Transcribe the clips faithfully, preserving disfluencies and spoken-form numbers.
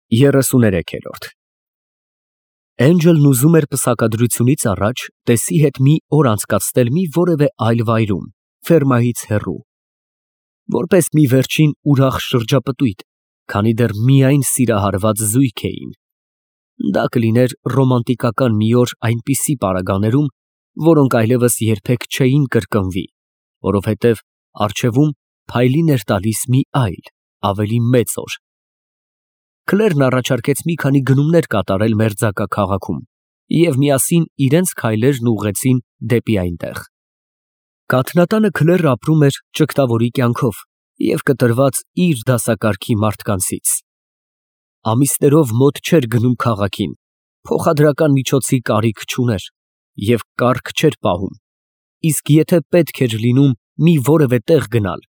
Երեսուներեքերորդ Էնջելն ուզում էր պսակադրությունից առաջ տեսի հետ մի օր անցկացնել մի որևէ այլ վայրում, ֆերմայից հեռու, որպես մի վերջին ուրախ շրջապտույտ, քանի դեռ միայն սիրահարված զույգ էին. դա կլիներ ռոմանտիկական մի օր այնպիսի պարագաներում, որոնք այլևս երբեք չէին կրկնվի, որովհետև առջևում փայլին էր տալիս մի այլ, ավելի մեծ օր։ Քլերն առաջարկեց մի քանի գնումներ կատարել մերձակա քաղաքում և միասին իրենց քայլերն ուղղեցին դեպի այնտեղ։ Կաթնատանը Քլերն ապրում էր ճգտավորի կյանքով և կտրված իր դասակարգի մարդկանցից։ Ամիսներով մոտ չէր գնում քաղաքին, փոխադրական միջոցի կարիք չուներ և կառք չէր պահում, իսկ եթե պետք էր լինում մի որևէ տեղ գնալ,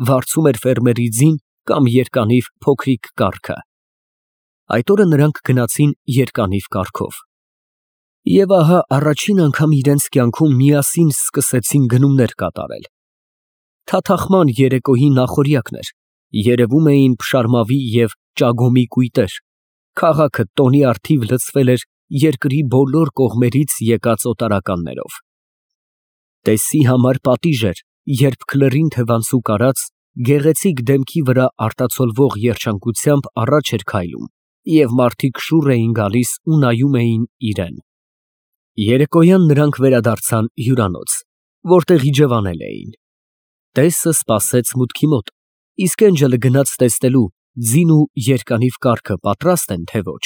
վարձում էր ֆերմերի ձին կամ երկանիվ փոքրիկ կառքը։ Այդ օրը նրանք գնացին երկանիվ կառքով։ Եվ ահա առաջին անգամ իրենց կյանքում միասին սկսեցին գնումներ կատարել։ Թաթախման երեկոյի նախօրյակն էր, երևում էին փշարմավի և ճագոմի կույտեր, քաղաքը տոնի առթիվ լցվել էր երկրի բոլոր կողմերից եկած օտարականներով։ Տեսի համար պատիժ էր, երբ Քլերին թևանցուկ արած, գեղեցիկ դեմքի վրա արտացոլվող երջանկությամբ առաջ էր քայլում, և մարդիկ շուռ էին գալիս ու նայում էին իրան։ Երեկոյան նրանք վերադարձան հյուրանոց, որտեղ իջևանել էին։ Տեսը սպասեց մուտքի մոտ, իսկ Էնջելը գնաց տեսնելու ձին ու երկանիվ կառքը պատրաստ են, թե ոչ։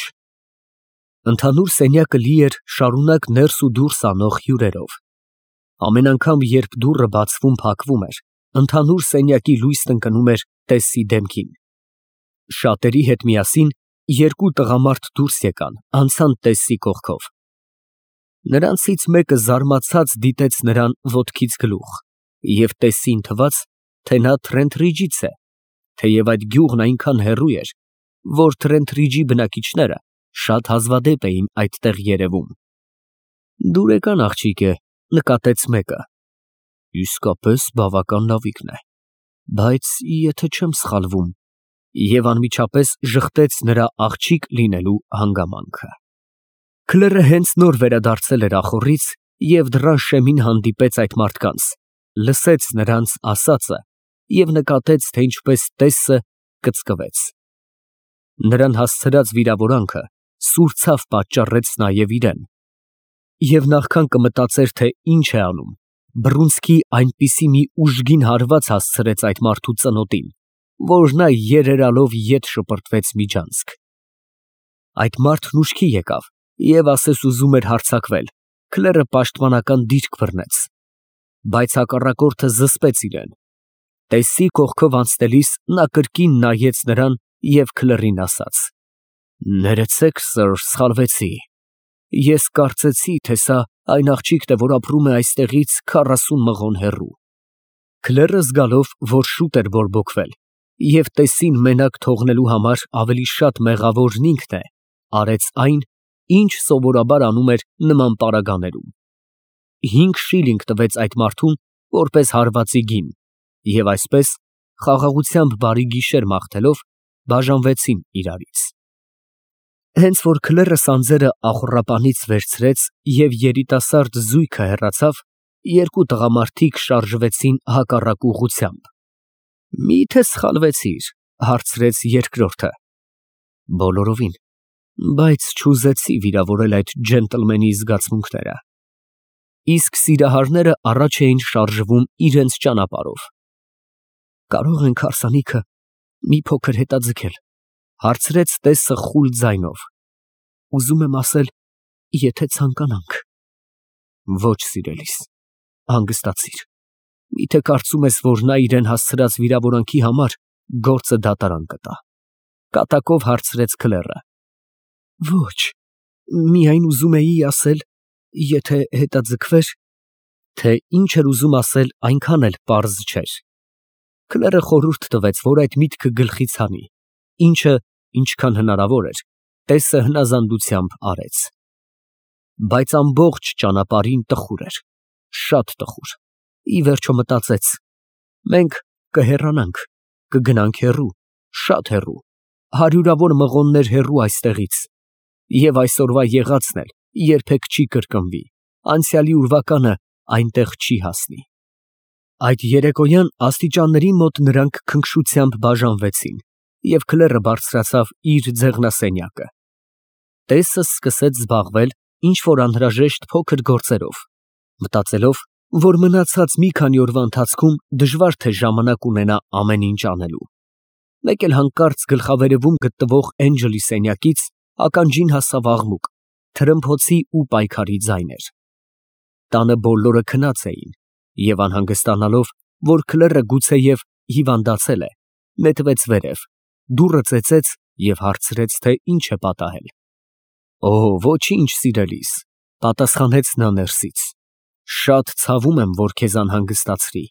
Ընդհանուր սենյակը լի էր շարունակ ներս ու դուրս անող հյուրերով։ Ամեն անգամ, երբ դուռը բացվում֊փակվում էր, ընդհանուր սենյակի լույսն ընկնում էր տեսի դեմքին։ Շատերի հետ միասին երկու տղամարդ դուրս եկան, անցան տեսի կողքով։ Նրանցից մեկը զարմացած դիտեց նրան ոտքից գլուխ և տեսին թվաց, թե նա Թրենթրիջից է, թեև այդ գյուղն այնքան հեռու էր, որ Թրենթրիջի բնակիչները շատ հազվադեպ էին այդտեղ երևում։ Դուրեկան աղջիկ է, նկատեց մեկը։ Իսկապես բավական լավիկն է, բայց եթե չեմ սխալվում, և անմիջապես ժխտեց նրա աղջիկ լինելու հանգամանքը։ Քլերը հենց նոր վերադարձել էր ախոռից և դռան շեմին հանդիպեց այդ մարդկանց, լսեց նրանց ասածը և նկատեց, թե ինչպես տեսը կծկվեց։ Նրան հասցրած վիրավորանքը սուր ցավ պատճառեց նաև իրան, և նախքան կմտածեր, թե ինչ է անում, բռունցքի այնպիսի մի ուժգին հարված հասցրեց այդ մարդու ծնոտին, որ նա երերալով ետ շպրտվեց միջանցք։ Այդ մարդն ուշքի եկավ և ասես ուզում էր հարձակվել, Քլերը պաշտպանական դիրք բռնեց, բայց հակառակորդը զսպեց իրան։ Տեսի կողքով անցնելիս նա կրկին նայեց նրան և Քլերին ասաց. «Ներեցեք, սըր, սխալվեցի, ես կարծեցի, թե սա այն աղջիկն է, որ ապրում է այստեղից քառասուն մղոն հեռու»։ Քլերը զգալով, որ շուտ էր բորբոքվել և տեսին մենակ թողնելու համար ավելի շատ մեղավորն ինքն է, արեց այն, ինչ սովորաբար անում էր նման պարագաներում։ Հինգ շիլինգ տվեց այդ մարդուն որպես հարվածի գին, և այսպես, խաղաղությամբ բարի գիշեր մաղթելով, բաժանվեցին իրարից։ Հենց որ Քլերը սանձերը ախոռապանից վերցրեց և երիտասարդ զույգը հեռացավ, երկու տղամարդիկ շարժվեցին հակառակ ուղղությամբ։ Մի՞թե սխալվեցիր, հարցրեց երկրորդը։ Բոլորովին, բայց չուզեցի վիրավորել այդ ջենտլմենի զգացմունքները։ Իսկ սիրահարները առաջ էին շարժվում իրենց ճանապարհով։ Կարո՞ղ ենք հարսանիքը մի փոքր հետաձգել, հարցրեց տեսը խուլ ձայնով։ Ուզում եմ ասել, եթե ցանկանանք։ Ոչ, սիրելիս, հանգստացիր, միթե կարծում ես, որ նա իրան հասցրած վիրավորանքի համար գործը դատարան կտա, կատակով հարցրեց Քլերը։ Ոչ, միայն ուզում էի ասել, եթե հետաձգվեր, թե ինչ էր ուզում ասել, այնքան էլ պարզ չէր։ Քլերը խորհուրդ տվեց, որ այդ միտքը գլխից հանի, ինչը, ինչքան հնարավոր էր, տեսը հնազանդությամբ արեց։ Բայց ամբողջ ճանապարհին տխուր էր, շատ տխուր, ի վերջո մտածեց. մենք կհեռանանք, կգնանք հեռու, շատ հեռու, հարյուրավոր մղոններ հեռու այստեղից, և այսօրվա եղածն էլ երբեք չի կրկնվի, անցյալի ուրվականը այնտեղ չի հասնի։ Այդ երեկոյան աստիճանների մոտ նրանք քնքշությամբ բաժանվեցին, և քլերը բարձրացավ իր ձեղնասենյակը։ Տեսը սկսեց զբաղվել ինչ-որ անհրաժեշտ փոքր գործերով, մտածելով, որ մնացած մի քանի օրվա ընթացքում դժվար թե ժամանակ ունենա ամեն ինչ անելու։ Մեկ էլ հանկարծ գլխավերևում գտնվող Էնջելի սենյակից ականջին հասավ աղմուկ, թրմփոցի ու պայքարի ձայներ։ Տանը բոլորը քնած էին, և անհանգստանալով, որ քլերը գուցեև հիվանդացել է, նետվեց վերև, դուռը ծեծեց և հարցրեց, թե ինչ է պատահել։ «Օ, ոչինչ, սիրելիս», պատասխանեց նա ներսից։ «Շատ ցավում եմ, որ քեզ անհանգստացրի,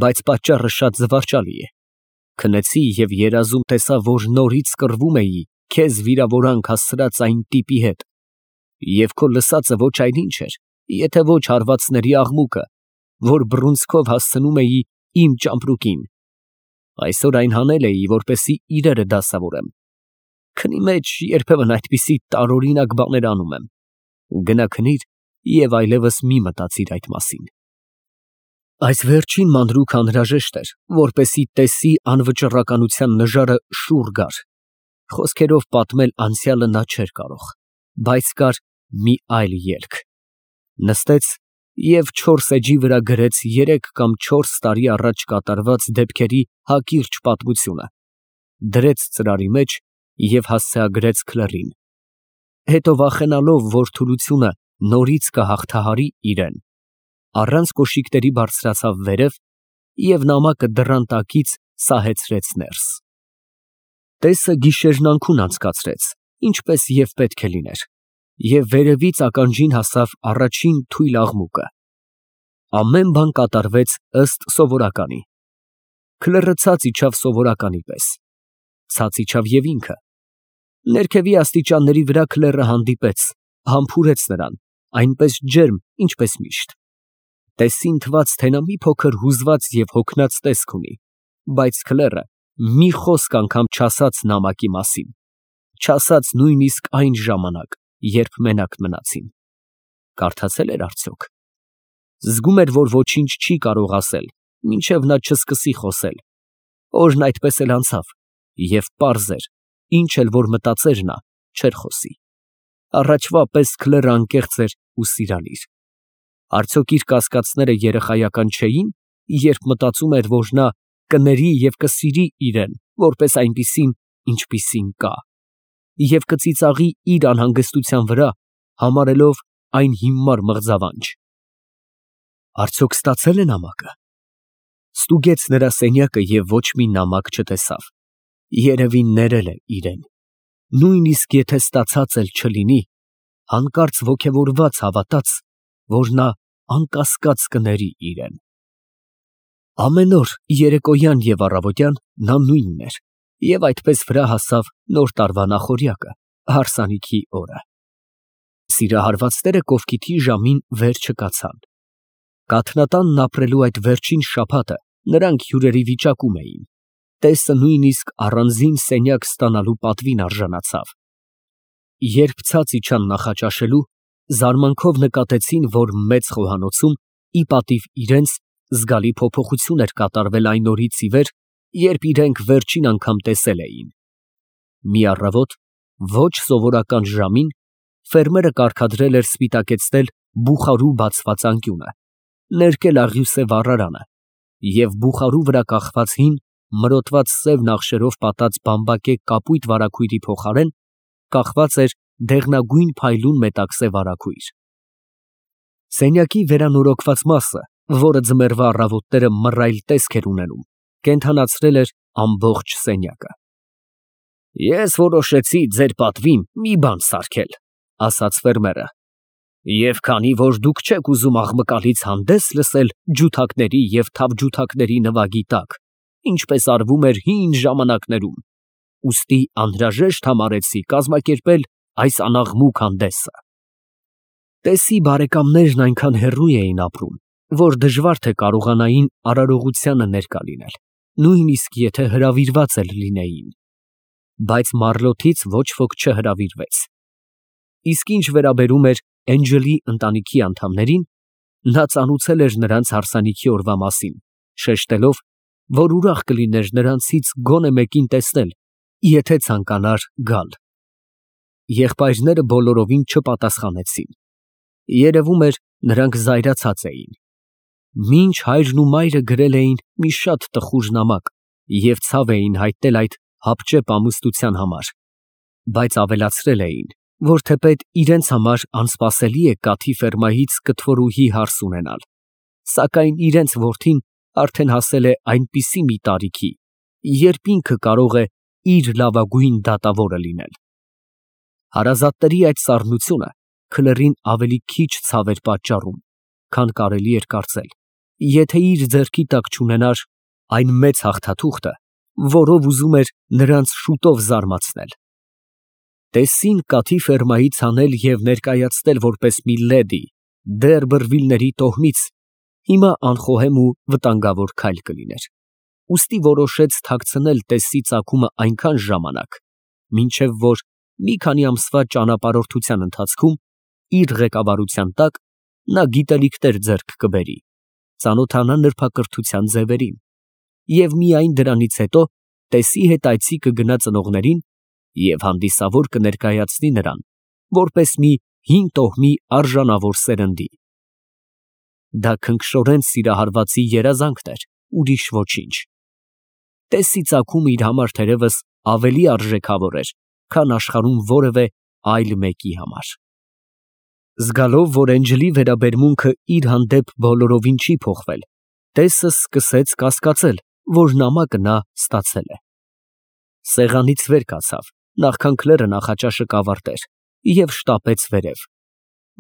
բայց պատճառը շատ զվարճալի է։ Քնեցի և երազում տեսա, որ նորից կռվում էի քեզ վիրավորանք հասցրած այն տիպի հետ, և քո լսածը ոչ այլ ինչ էր, եթե ոչ հարվածների աղմուկը, որ բռունցքով հասցնում էի իմ ճամպրուկին։ Այսօր այն հանել էի, որպեսզի իրերը դասավորեմ։ Քնի մեջ երբեմն այդպիսի տարօրինակ բաներ անում եմ։ Գնա քնիր և այլևս մի մտածիր այդ մասին»։ Այս վերջին մանրուքը անհրաժեշտ էր, որպեսզի տեսի անվճռականության նժարը շուռ գար։ Խոսքերով պատմել անցյալը նա չէր կարող, բայց կար մի այլ ելք։ Նստեց և չորս էջի վրա գրեց երեք կամ չորս տարի առաջ կատարված դեպքերի հակիրճ պատմությունը, դրեց ծրարի մեջ և հասցեագրեց քլերին։ Հետո, վախենալով, որ թուլությունը նորից կհաղթահարի իրան, առանց կոշիկների բարձրացավ վերև և նամակը դռան տակից սահեցրեց ներս։ Տեսը գիշերն անքուն անցկացրեց, ինչպես և պետք է լիներ, և վերևից ականջին հասավ առաջին թույլ աղմուկը։ Ամեն բան կատարվեց ըստ սովորականի։ Քլերը ցած իջավ սովորականի պես։ Ցած իջավ և ինքը։ Ներքևի աստիճանների վրա քլերը հանդիպեց, համբուրեց նրան, այնպես ջերմ, ինչպես միշտ։ Տեսին թվաց, թե նա մի փոքր հուզված և հոգնած տեսք ունի, բայց քլերը մի խոսք անգամ չասաց նամակի մասին, չասաց նույնիսկ այն ժամանակ, երբ մենակ մնացին։ Կարդացե՞լ էր արդյոք։ Զգում էր, որ ոչինչ չի կարող ասել, մինչև նա չսկսի խոսել։ Օրն այդպես էլ անցավ, և պարզ էր, ինչ էլ որ մտածեր նա, չէր խոսի։ Առաջվա պես քլերը անկեղծ էր ու սիրալիր։ Արդյոք իր կասկածները երեխայական չէի՞ն, երբ մտածում էր, որ նա կների և կսիրի իրան որպես այնպիսին, ինչպիսին կա, և կծիծաղի իր անհանգստության վրա, համարելով այն հիմար մղձավանջ։ Արդյոք ստացե՞լ է նամակը։ Ստուգեց նրա սենյակը և ոչ մի նամակ չտեսավ։ Երևի ներել է իրան։ Նույնիսկ եթե ստացած էլ չլինի, հանկարծ ոգևորված հավատաց, որ նա անկասկած կների իրան։ Ամեն օր երեկոյան և առավոտյան նա նույնն էր, և այդպես վրա հասավ նոր տարվա նախօրյակը, հարսանիքի օրը։ Սիրահարվածները կովկիթի ժամին վեր չկացան։ Կաթնատանն ապրելու այդ վերջին շաբաթը նրանք հյուրերի վիճակում էին։ Տեսը նույնիսկ առանձին սենյակ ստանալու պատվին արժանացավ։ Երբ ցած իջան նախաճաշելու, զարմանքով նկատեցին, որ մեծ խոհանոցում, ի պատիվ իրենց, զգալի փոփոխություն էր կատարվել այն օրից ի վեր, երբ իրենք վերջին անգամ տեսել էին։ Մի առավոտ, ոչ սովորական ժամին, ֆերմերը կարգադրել էր սպիտակեցնել բուխարու բացված անկյունը, ներկել աղյուսե վառարանը և բուխարու վրա կախված հին, մրոտված սև նախշերով պատած բամբակե կապույտ վարագույրի փոխարեն կախված էր դեղնագույն փայլուն մետաքսե վարագույր։ Սենյակի վերանորոգված մասը, որը ձմեռվա առավոտները մռայլ տեսք էր ունենում, կենդանացրել էր ամբողջ սենյակը։ «Ես որոշեցի ձեր պատվին մի բան սարքել», ֊ ասաց ֆերմերը, «և քանի որ դուք չեք ուզում աղմկալից հանդես լսել ջութակների և թավջութակների նվագի տակ, ինչպես արվում էր հին ժամանակներում, ուստի անհրաժեշտ համարեցի կազմակերպել այս անաղմուկ հանդեսը»։ Տեսի բարեկամներն այնքան հեռու էին ապրում, որ դժվար թե կարողանային արարողությանը ներկա լինել, նույնիսկ եթե հրավիրված էլ լինեին։ բայց Մարլոթից ոչ ոք չհրավիրվեց։ Իսկ ինչ վերաբերում էր Էնջելի ընտանիքի անդամներին, նա ծանուցել էր նրանց հարսանիքի օրվա մասին, շեշտելով, որ ուրախ կլիներ նրանցից գոնե մեկին տեսնել, եթե ցանկանար գալ։ Եղբայրները բոլորովին չպատասխանեցին։ Երևում էր, նրանք զայրացած էին։ Մինչ հայրն ու մայրը գրել էին մի շատ տխուր նամակ և ցավ էին հայտնել այդ հապճեպ ամուսնության համար, բայց ավելացրել էին, որ թեպետ իրենց համար անսպասելի է Կաթի ֆերմայից կթվորուհի հարս ունենալ, սակայն իրենց որդին արդեն հասել է այնպիսի մի տարիքի, երբ ինքը կարող է իր լավագույն դատավորը լինել։ Հարազատների այդ սառնությունը քլերին ավելի քիչ ցավ էր պատճառում, քան կարելի էր կարծել, եթե իր ձեռքի տակ չունենար այն մեծ հաղթաթուղթը, որով ուզում էր նրանց շուտով զարմացնել։ Տեսին Կաթի ֆերմայից հանել և ներկայացնել որպես մի լեդի դեռ բռվիլների տոհմից հիմա անխոհեմ ու վտանգավոր քայլ կլիներ, ուստի որոշեց թաքցնել Տեսսի ծագումը այնքան ժամանակ, մինչև որ մի քանի ամսվա ճանապարհորդության ընթացքում իր ղեկավարության տակ նա գիտելիքներ ձեռք կբերի, ծանոթանա նրբակրթության ձևերին և միայն դրանից հետո Տեսսի հետ այցի կգնա ծնողներին և հանդիսավոր կներկայացնի նրան, որպես մի հին տոհմի արժանավոր սերնդի։ Դա քնքշորեն սիրահարվածի երազանքն էր, ուրիշ ոչինչ։ Տեսսի ծագումը իր համար թերևս ավելի արժեքավոր էր, քան աշխարհում որևէ այլ մեկի համար։ Զգալով, որ Էնջելի վերաբերմունքը իր հանդեպ բոլորովին չի փոխվել, Տեսսը սկսեց կասկածել, որ նամակը նա ստացել է։ Սեղանից վեր կացավ, նախքան Քլերը նախաճաշը կավարտեր, և շտապեց վերև։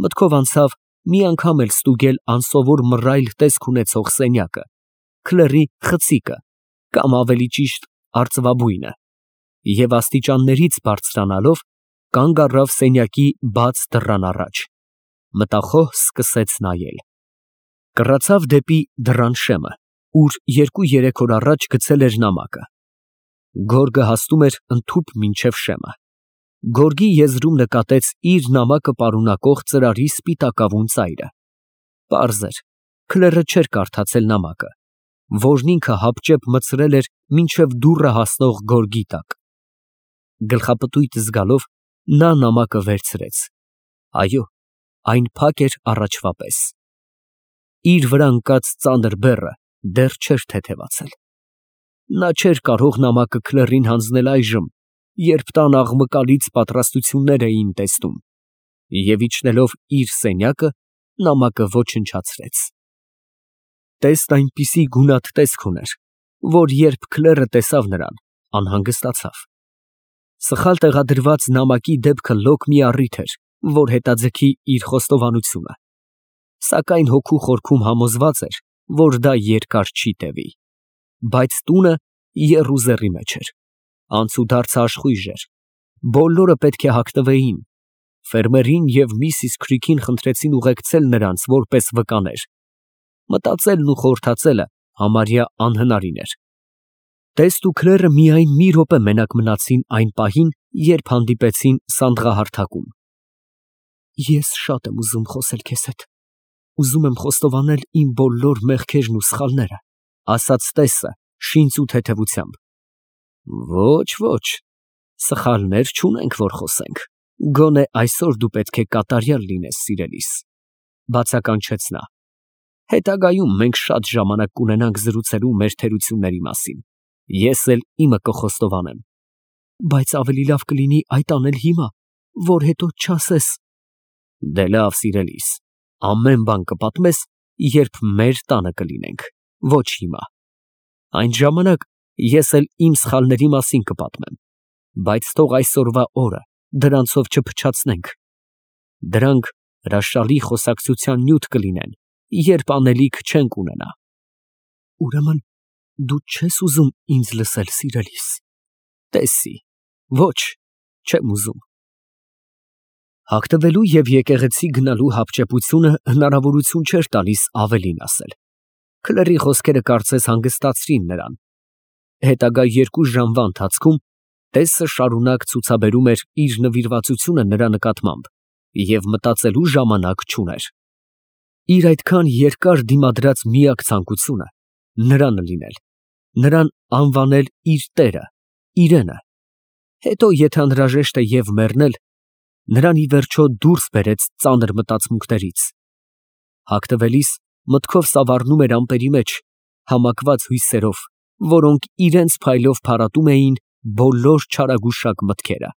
Մտքով անցավ մի անգամ էլ ստուգել անսովոր մռայլ տեսք ունեցող սենյակը, Քլերի խցիկը, կամ ավելի ճիշտ արծվաբույնը, և աստիճաններից բարձրանալով կանգ առավ սենյակի բաց դռան առաջ, մտախոհ սկսեց նայել։ Կռացավ դեպի դռան շեմը, ուր երկու֊երեք օր առաջ գցել էր նամակը։ Գորգը հասնում էր ընդհուպ մինչև շեմը։ Գորգի եզրում նկատեց իր նամակը պարունակող ծրարի սպիտակավուն ծայրը։ Պարզ էր, Քլերը չէր կարդացել նամակը, որն ինքը հապճեպ մտցրել էր մինչև դուռը հասնող գորգի տակ։ Գլխապտույտ զգալով նա նամակը վերցրեց։ Այո, այն փակ էր առաջվա պես։ Իր վրա ընկած ծանր բեռը դեռ չէր թեթևացել։ Նա չէր կարող նամակը Քլերին հանձնել այժմ, երբ տան աղմկալից պատրաստություններ էին տեսնում, և իջնելով իր սենյակը, նամակը ոչնչացրեց։ Տեսն այնպիսի գունատ տեսք ուներ, որ երբ Քլերը տեսավ նրան, անհանգստացավ։ Սխալ տեղադրված նամակի դեպքը լոկ մի առիթ էր, որ հետաձգի իր խոստովանությունը, սակայն հոգու խորքում համոզված էր, որ դա երկար չի տևի։ Բայց տունը եռուզեռի մեջ էր, անցուդարձը աշխույժ էր, բոլորը պետք է հագնվեին, ֆերմերին և միսիս Քրիքին խնդրեցին ուղեկցել նրանց որպես վկաներ, մտածելն ու խորհրդածելը համարյա անհնարին էր։ Տեսն ու Քլերը միայն մի րոպե մենակ մնացին այն պահին, երբ հանդիպեցին սանդղահարթակում։ Ես շատ եմ ուզում խոսել քեզ հետ, ուզում եմ խոստովանել իմ բոլոր մեղքերն ու սխալները, ասաց Տեսը շինծ ու թեթևությամբ։ Ոչ, ոչ, սխալներ չունենք, որ խոսենք, գոնե այսօր դու պետք է կատարյալ լինես սիրելիս, բացականչեց նա։ Հետագայում մենք շատ ժամանակ կունենանք զրուցելու մեր թերությունների մասին, ես էլ իմը կխոստովանեմ, բայց ավելի լավ կլինի այդ անել հիմա, որ հետո չասես։ Դե լավ սիրելիս, ամեն բան կպատմես, երբ մեր տանը կլինենք, ոչ հիմա։ Այն ժամանակ ես էլ իմ սխալների մասին կպատմեմ, բայց թող այսօրվա օրը դրանցով չփչացնենք։ Դրանք հրաշալի խոսակցության նյութ կլինեն, երբ անելիք չենք ունենա։ Ուրեմն դու չես ուզում ինձ լսել, սիրելիս։ Տեսի, ոչ, չեմ ուզում։ Հագնվելու և եկեղեցի գնալու հապճեպությունը հնարավորություն չէր տալիս ավելին ասել։ Քլերի խոսքերը կարծես հանգստացրին նրան։ Հետագա երկու ժամվա ընթացքում Տեսը շարունակ ցուցաբերում էր իր նվիրվածությունը նրա նկատմամբ և մտածելու ժամանակ չուներ։ Իր այդքան երկար դիմադրած միակ ցանկությունը նրանը լինել, նրան անվանել իր տերը, իրենը, հետո եթե անհրաժեշտ է և մեռնել, նրան ի վերջո դուրս բերեց ծանր մտածմունքներից։ Հագնվելիս մտքով սավառնում էր ամպերի մեջ, համակված հույսերով, որոնք իրանց փայլով փարատում էին բոլոր չարագուշակ մտքերը։